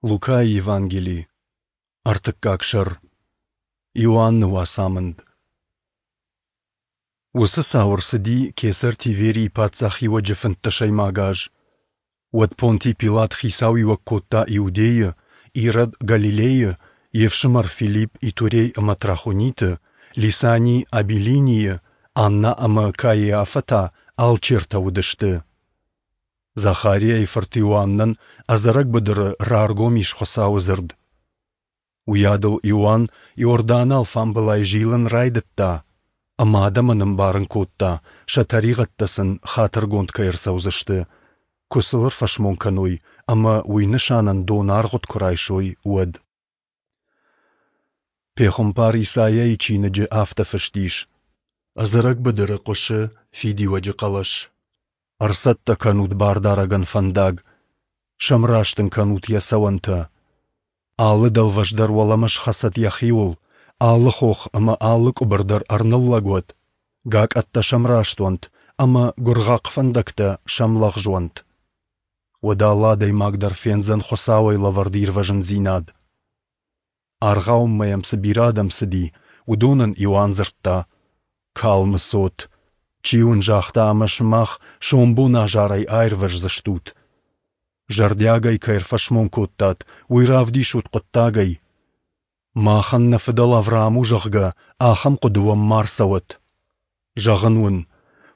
Лукайы Евангели, ӕртыккаг сӕр. Иоанны уацамынд. Уыцы цау ӕрцыди кесӕр Тиверийы паддзахиуӕджы фынддӕсӕймаг аз. Уӕд Понтий Пилат хицауиуӕг кодта Иудейы, Ирод Галилейы, йе фсымӕр Филипп Итурей ӕмӕ Трахониты, Лисани Абилинийы, Анна ӕмӕ Каиафӕ та алчертӕ уыдысты. Захариайы фырт Иоаннӕн ӕдзӕрӕг быдыры раргом ис Хуыцауы дзырд. Уыйадыл Иоанн Иорданы алфамбылай зилын райдыдта ӕмӕ адӕмӕн ӕмбарын кодта, сӕ тӕригъӕдтӕ сын хатыргонд кӕй ӕрцӕудзысты, куы сыл ӕрфӕсмон кӕной ӕмӕ уый нысанӕн донаргъуыд куы райсой, уӕд. Пехуымпар Исайайы чиныджы афтӕ фыст ис: Ӕдзӕрӕг быдыры хъуысы фидиуӕджы хъӕлӕс. Ӕрцӕттӕ кӕнут Бардарӕгӕн фӕндаг, сӕмраст ын кӕнут йӕ цӕуӕнтӕ. Алы дӕлвӕз дӕр уӕлӕмӕ схӕцӕд йӕхиуыл, алы хох ӕмӕ алы къуыбыр дӕр ӕрныллӕг уӕд, гакъӕттӕ сӕмраст уӕнт ӕмӕ гуыргъахъ фӕндӕгтӕ сӕмлӕгъз уӕнт. Уӕд алы адӕймаг дӕр фендзӕн Хуыцауӕй лӕвӕрд ирвӕзындзинад. Аргъауынмӕ йӕм цы бирӕ адӕм цыди, уыдонӕн Иоанн дзырдта: «Калмы цот! Чи уын загъта, ӕмӕ сымах сомбон азарӕй аирвӕздзыстут? Зӕрдиагӕй кӕй ӕрфӕсмон кодтат, уый равдисут хъуыддагӕй. Махӕн нӕ фыдӕл Авраам у, зӕгъгӕ, ахӕм хъуыды уӕм ма рцӕуӕд. Зӕгъын уын,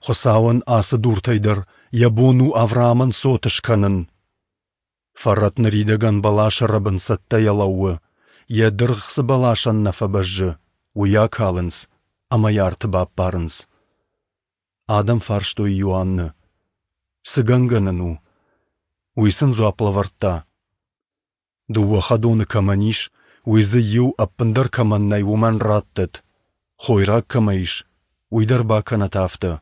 Хуыцауӕн ацы дуртӕй дӕр йӕ бон у Авраамӕн цот скӕнын. Фӕрӕт ныридӕгӕн бӕласы рӕбын цӕттӕйӕ лӕууы, йӕ дыргъ цы бӕласӕн нӕ фӕбӕззы, уый акалынц ӕмӕ йӕ арты баппарынц. Адӕм фарстой Иоанны: Цы гӕнгӕ нын у? Уый сын дзуапп лӕвӕрдта: Дыууӕ хӕдоны кӕмӕн ис, уый дзы иу ӕппындӕр кӕмӕн нӕй, уымӕн раттӕд. Хойраг кӕмӕ ис, уый дӕр бакӕнӕт афтӕ.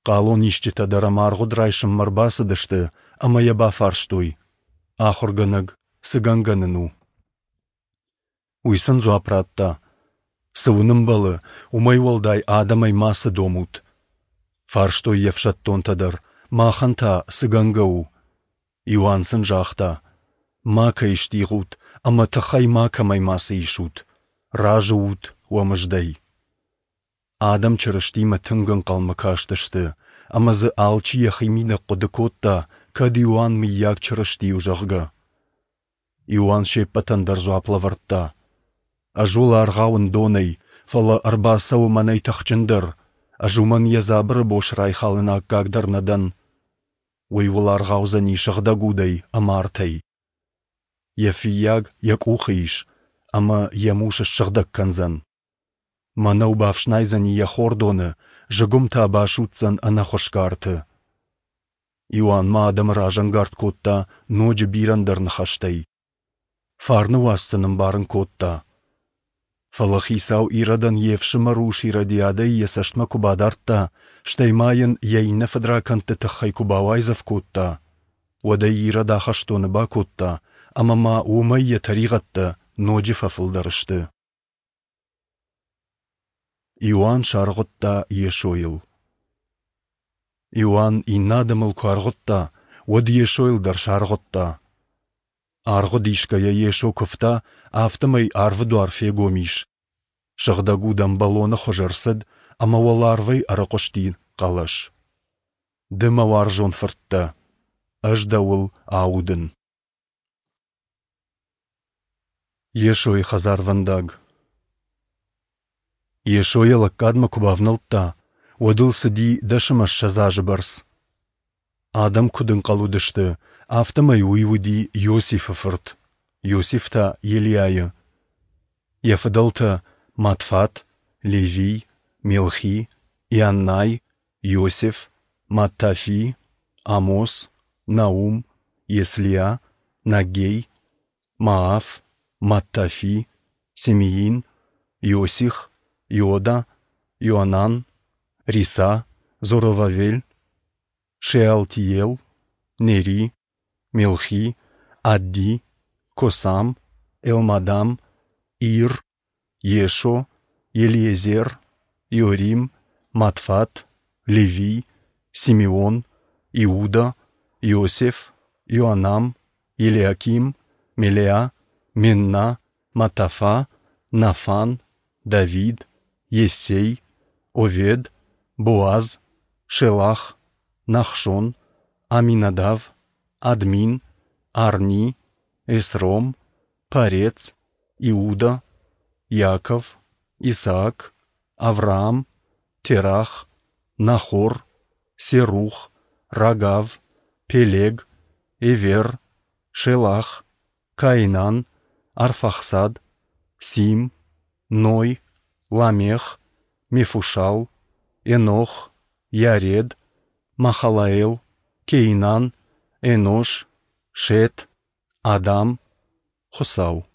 Хъалонисджытӕ дӕр ӕм аргъуыд райсынмӕ ӕрбацыдысты ӕмӕ йӕ бафарстой: Ахуыргӕнӕг, цы гӕнгӕ нын у? Уый сын дзуапп радта: Цы уын ӕмбӕлы, уымӕй уӕлдай адӕмӕй мацы домут. Фарстой йе фсӕддонтӕ дӕр: Махӕн та цы гӕнгӕ у? Иоанн сын загъта: Макӕй стигъут ӕмӕ тыхӕй макӕмӕй мацы исут. Разы ут уӕ мыздӕй. Адӕм Чырыстимӕ тынг ӕнхъӕлмӕ кастысты, ӕмӕ дзы алчи йӕхимидӕг хъуыды кодта, кӕд Иоанн мыййаг Чырысти у, зӕгъгӕ. Иоанн се ппӕтӕн дӕр дзуапп лӕвӕрдта: Ӕз уыл аргъауын донӕй, фӕлӕ ӕрбацӕуы мӕнӕй тыхджындӕр, ӕз уымӕн йӕ дзабыры бос райхалыны аккаг дӕр нӕ дӕн. Уый уыл аргъаудзӕни сыгъдӕг удӕй ӕмӕ артӕй. Йӕ фыййаг йӕ къухы ис, ӕмӕ йӕ мус ссыгъдӕг кӕндзӕн. Мӕнӕу бафснайдзӕни йӕ хордоны, зыгуым та басудздзӕн ӕнӕхуысгӕ арты. Иоанн ма адӕмы разӕнгард кодта ноджы бирӕ ӕндӕр ныхӕстӕй. Фарны уац сын ӕмбарын кодта. Фӕлӕ хицау Иродӕн йе фсымӕр ус Иродиадӕйы йӕ цӕстмӕ куы бадардта, стӕй ма йын йӕ иннӕ фыдракӕндты тыххӕй куы бауайдзӕф кодта, уӕд ӕй Ирод ахӕстоны бакодта, ӕмӕ ма уымӕй йӕ тӕригъӕдтӕ ноджы фӕфылдӕр сты. Иоанн саргъуыдта Йесойыл. Иоанн иннӕ адӕмыл куы аргъуыдта, уӕд Йесойыл дӕр саргъуыдта. Аргъуыд исгӕйӕ Йесо куывта, афтӕмӕй арвы дуар фегом ис. Сыгъдӕг уд ӕмбӕлоны хуыз ӕрцыд ӕмӕ уӕларвӕй ӕрыхъуысти хъӕлӕс. Ды мӕ уарзон фырт дӕ, ӕз дӕуыл аудын. Йесойы хӕдзарвӕндаг Йесо йӕ лӕггадмӕ куы бавнӕлдта, уӕд ыл цыди 20 азы бӕрц. Адӕм куыд ӕнхъӕл уыдысты, афтӕмӕй уый уыди Иосифы фырт, Иосиф та Елиайы. Йӕ фыдӕлтӕ Матфат, Левий, Мелхи, Ианнай, Иосиф, Маттафи, Амос, Наум, Еслиа, Наггей, Мааф, Маттафи, Семиин, Иосих, Иода, Иоанан, Риса, Зоровавель, Шеалтиел, Нери, Мелхи, Адди, Косам, Элмадам, Ир, Йесо, Елиезер, Иорим, Матфат, Левий, Симеон, Иуда, Иосиф, Иоанам, Елиаким, Мелеа, Менна, Матафа, Нафан, Давид, Йессей, Овед, Боаз, Шелах, Нахшон, Аминадав, Админ, Арни, Есром, Парец, Иуда, Иаков, Исаак, Авраам, Терах, Нахор, Серух, Рагав, Пелег, Эвер, Шелах, Каинан, Арфахсад, Сим, Ной, Ламех, Мефушал, Енох, Яред, Махалаэл, Кейнан, Энош, Шет, Адам, Хуыцау.